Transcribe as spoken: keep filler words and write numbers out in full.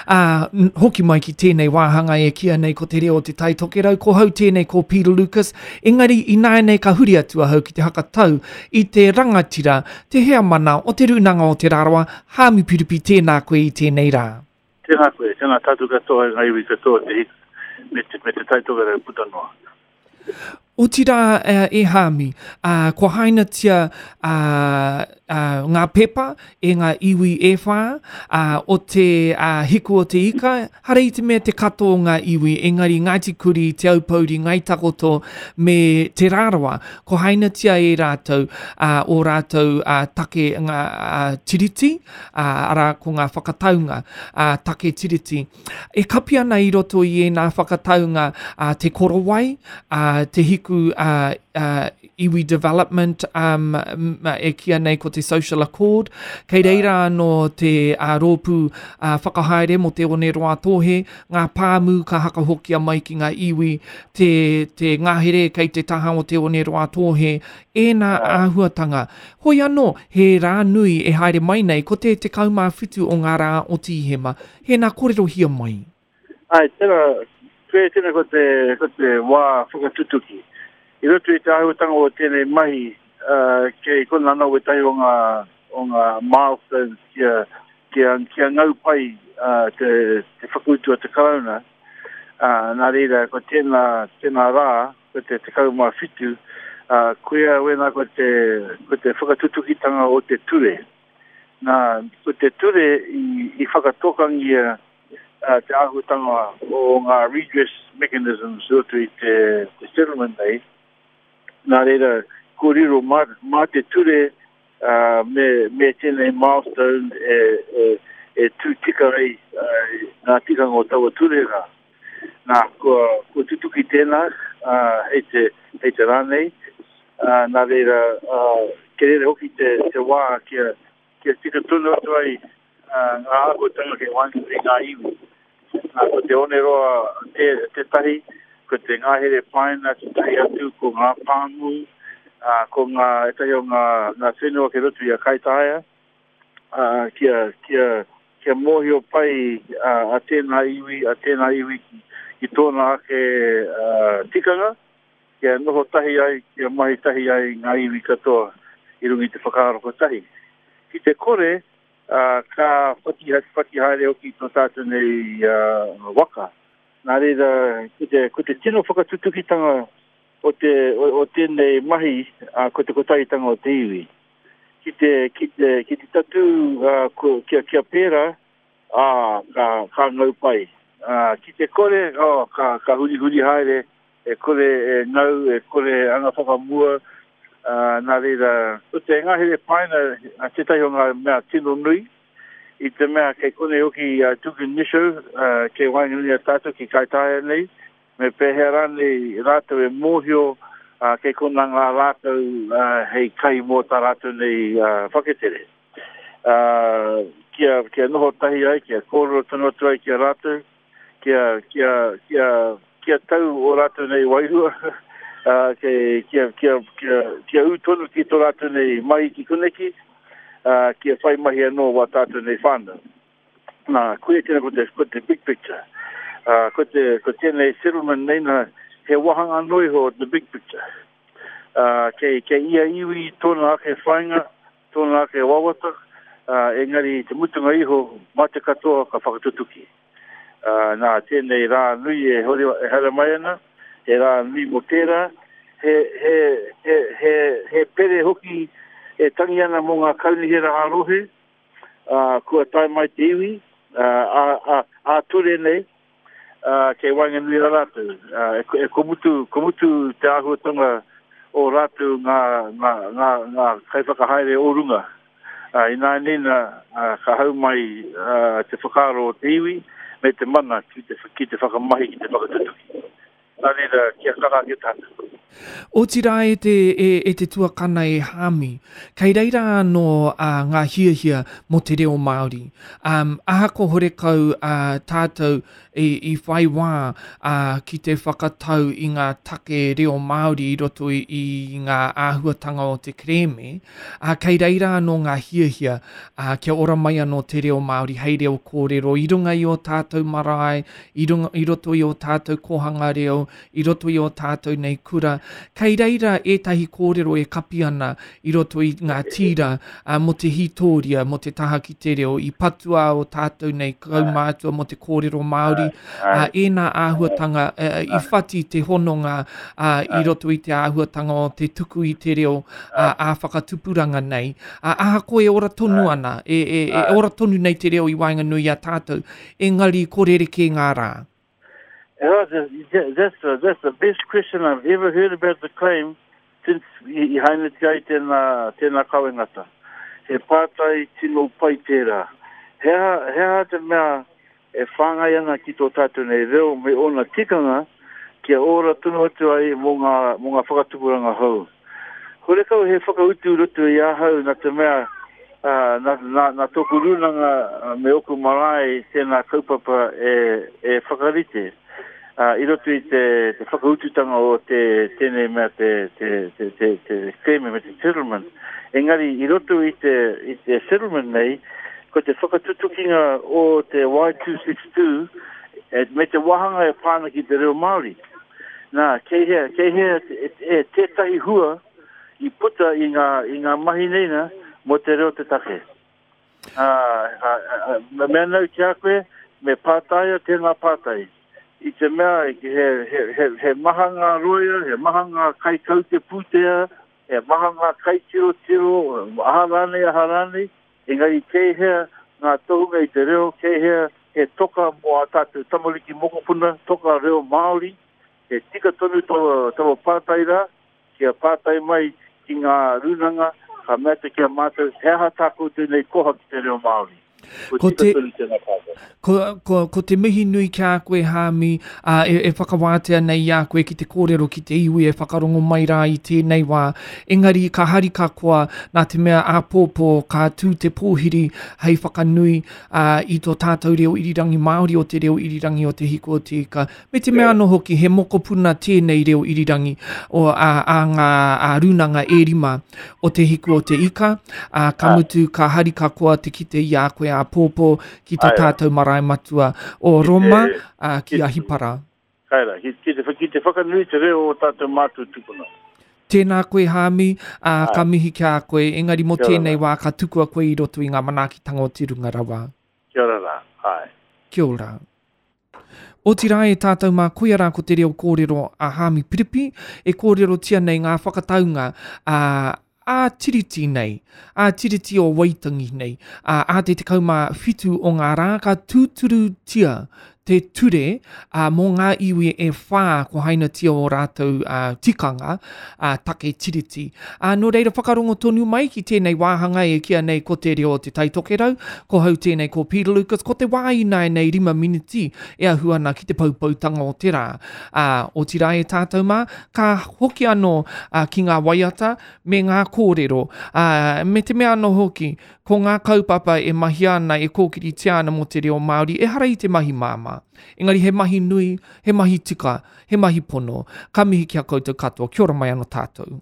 Ā, hoki mai ki tēnei wāhanga e kīia nei ko te reo o te Tai Tokerau, ko hau tēnei ko Peter Lucas, engari ināianei ka huri atu ahau ki te hakatau i te rangatira, te heamana o Te Rūnanga o Te Rarawa, Haami Piripi, tēnā koe i tēnei rā. Tēnā koe, tēnā tātou katoa, ngā iwi katoa te hika, me te, me te Tai Tokerau puta noa. Otirā e Haami, kua hainatia ngā pepa e ngā iwi e whā o te Hiku o te Ika, hara i te mea te katoa o ngā iwi, engari Ngāti Kuri, Te Aupōuri, Ngāi Takoto me Te Rarawa, kua hainatia e rātou ō rātou take ngā tiriti, arā ko ngā whakataunga take tiriti. E kapi ana i roto i ēnā whakataunga te korowai, te hiku iwi development um, e kīia nei ko te social accord. Kei reira anō te uh, rōpū uh, whakahaere mō te Oneroa Tōhe, ngā pāmu ka hakahokia mai ki ngā iwi, te, te ngahere kei te taha o te Oneroa Tōhe, ēnā āhuatanga. Hoi anō, he rā nui e haere mai nei, ko te tekau mā whitu o ngā rā o Tīhema. Hēnā kōrerohia mai. Ai, tērā, koe tēnā ko te, ko te wā whakatutuki. I roto i te āhuatanga o tēnei mahi, uh, kei kona anō wētahi o ngā, o ngā milestones kia, kia, kia ngau pai uh, te, te whakautu a te Karauna. Uh, nā reira, ko tēnā, tēnā rā, ko te tekau mā whitu, uh, koia wēnā ko te, ko te whakatutukitanga o te ture. Nā, ko te ture i, i whakatokangia uh, te āhuatanga o ngā redress mechanisms i roto i te, te settlement nei. Nā reira, ko riro mā, mā te ture uh, me, me tēnei milestone e, e, e tū tika ai uh, ngā tikanga o taua ture rā. Nā, kua, kua tutuki tēnā uh, hei te, hei te rā nei. Uh, nā reira, uh, kei reira hoki te, te wā kia, kia tika tonu atu ai uh, ngā āhuatanga kei waenganui i ngā iwi. Nā, ko te Oneroa te, tētahi, ko te ngahere paina tētahi atu, ko ngā pāmu, uh, ko ngā, ētahi o ngā, ngā whenua kei roto i a Kaitaia, uh, kia, kia, kia mōhio pai uh, a tēnā iwi, a tēnā iwi ki, ki tōna ake uh, tikanga, kia noho tahi ai, kia mahi tahi ai ngā iwi katoa i runga i te whakaaro kotahi. Ki te kore, uh, ka whati, whati haere hoki tō tātou nei uh, waka. Nā reira, ko te, ko te tino whakatutukitanga o, te, o, o tēnei mahi, uh, ko te kotahitanga o te iwi. Ki te, ki te, ki te tatū uh, ko, kia, kia pērā, ā, ka, ka ngau pai. Uh, ki te kore, oh, ka, ka huri huri haere, e kore e ngau, e kore e anga whakamua, uh, nā reira, ko te ngahere paina uh, tētahi o ngā mea tino nui, i te mea kei konei hoki uh, Dugan Nisho, uh, kei waenganui a tātou ki Kaitaia nei, me pēhea rānei rātou e mōhio uh, kei kona ngā rātou uh, hei kai mō tā rātou nei uh, whaketere. Uh, kia, kia noho tahi ai, kia kōrero tonu atu ai ki a rātou, kia, kia, kia, kia tau o rātou nei wairua, uh, kia, kia, kia, kia, kia ū tonu ki tō rātou nei mahi ki koneki, uh, kia whai mahi anō wā tātou nei whānau. Nā, koia tēnā ko te, ko te big picture. Uh, ko, te, ko tēnei settlement nei nā, he wāhanga anō iho o the big picture. Uh, kei, kei ia iwi tōna ake whāinga, tōna ake wawata, uh, engari te mutunga iho, mā te katoa ka whakatutuki. Uh, nā, tēnei rā nui e, hore, e haere mai ana, he rā nui mō tērā, he, he, he, he, he pere hoki e tangi ana mō ngā kaunihera ā-rohe, uh, kua tae mai te iwi, uh, a, a, a ture nei, uh, kei waenganui a rātou. Uh, e, e komutu, komutu te āhuatanga o rātou ngā, ngā, ngā, ngā kaiwhakahaere o runga. Uh, ināianei nā, uh, ka hau mai uh, te whakaaro o te iwi me te mana ki te, ki te whakamahi, ki te whakatutuki. Nā reira, kia kaha ake tātou. Otirā e te, e, e te tuakana e Hāmi, kei reira anō uh, ngā hiahia mō te reo Māori. Um, ahako horekau uh, tātou i, i whai wā uh, ki te whakatau i ngā take reo Māori i roto i, i ngā āhuatanga o te kerēme, uh, kei reira anō ngā hiahia uh, kia ora mai anō te reo Māori hei reo kōrero i runga i o tātou marae, i, runga, i roto i o tātou kōhanga reo, i roto i o tātou nei kura. Kei reira ētahi kōrero e kapi ana i roto i ngā tīra uh, mō te hītōria, mō te taha ki te reo, i patua o tātou nei kaumātua mō te kōrero Māori, uh, ēnā āhuatanga uh, i whati te hononga uh, i roto i te āhuatanga o te tuku i te reo uh, ā whakatupuranga nei. Uh, ahakoa e ora tonu ana, e, e, e ora tonu nei te reo i waenganui i a tātou, engari ko rerekē ngā rā. Oh, that's, the, that's the best question I've ever heard about the claim since i hainatia ai tēnā, tēnā kawengata. He pātai tino pai tērā. He aha, he aha te mea e whāngai ana ki tō tātou nei reo me ōna tikanga kia ora tonu atu ai mō ngā, mō ngā whakatupuranga hou. Horekau he whakautu roto i ahau nā te mea uh, nā, nā, nā tōku rūnanga me oku marae tēnā kaupapa e, e whakarite. Uh, i roto i te, te whakaututanga o te tēnei mea te, te, te, te, te claim me te settlement. Engari, i roto i te, i te settlement nei, ko te whakatutukinga o te Y two six two e, me te wāhanga e pāna ki te reo Māori. Nā, kei hea, kei hea e, e, tētahi hua i puta i ngā, i ngā mahi nei na, mō te reo te take. Uh, uh, uh, mea nau ki a koe, me pātaia tēnā pātai. I te mea, he, he, he, he maha ngā roia, he maha ngā kaikaute pūtea, he maha ngā kaitirotiro, aha rānei, aha rānei, engari kei hea ngā tohunga i te reo, kei hea he toka mō a tātou tamariki mokopuna, toka reo Māori, he tika tonu taua, taua pātai rā, kia pātai mai ki ngā rūnanga, ka mea te kia mātou, he aha tā koutou nei koha ki te reo Māori. Ko te, ko, ko, ko te mihi nui ki a koe, Hāmi, uh, e, e whakawātea nei i a koe ki te kōrero ki te iwi e whakarongo mai rā i tēnei wā. Engari ka hari ka koa nā te mea āpōpō ka tū te pōhiri hei whakanui uh, i tō tātou reo irirangi Māori o te reo irirangi o Te Hiku o Te Ika. Me te mea anō hoki he mokopuna tēnei reo irirangi o a, a ngā a rūnanga e rima o Te Hiku o Te Ika. Uh, ka mutu ka hari ka koa te kite i a koe āpōpō ki tō tātou marae matua o Roma, uh, ki Ahipara. Kaira, ki, ki, te, ki te whakanui te reo o tātou mātua tupuna. Tēnā koe, Hāmi, uh, ka mihi ki a koe, engari mō tēnei wā ka tukua koe i roto i ngā manaakitanga o te runga rawa. Kia ora rā, ai. Kia ora. Otirā e tātou mā koia rā ko te reo kōrero a Hāmi Piripi, e kōrerotia nei ngā whakataunga a uh, a tiriti nei, a tiriti o Waitangi nei, a, a te tekau mā whitu o ngā rā ka tūturutia te ture a, mō ngā iwi e whā ko hainatia o rātou a, tikanga a, take tiriti. A, nō reira whakarongo tonu mai ki tēnei wāhanga e kia nei ko te reo o te Taitokerau, ko hau tēnei ko Peter Lucas, ko te wā inai nei rima miniti e ahu ana ki te poupoutanga o te rā. A, otirā e tātou mā, ka hoki anō a, ki ngā waiata me ngā kōrero. A, me te mea anō hoki, ko ngā kaupapa e mahia ana e kōkiritia ana mō te reo Māori, ehara i te mahi māmā. Engari he mahi nui, he mahi tika, he mahi pono. Ka mihi ki a koutou katoa. Kia ora mai anō tātou.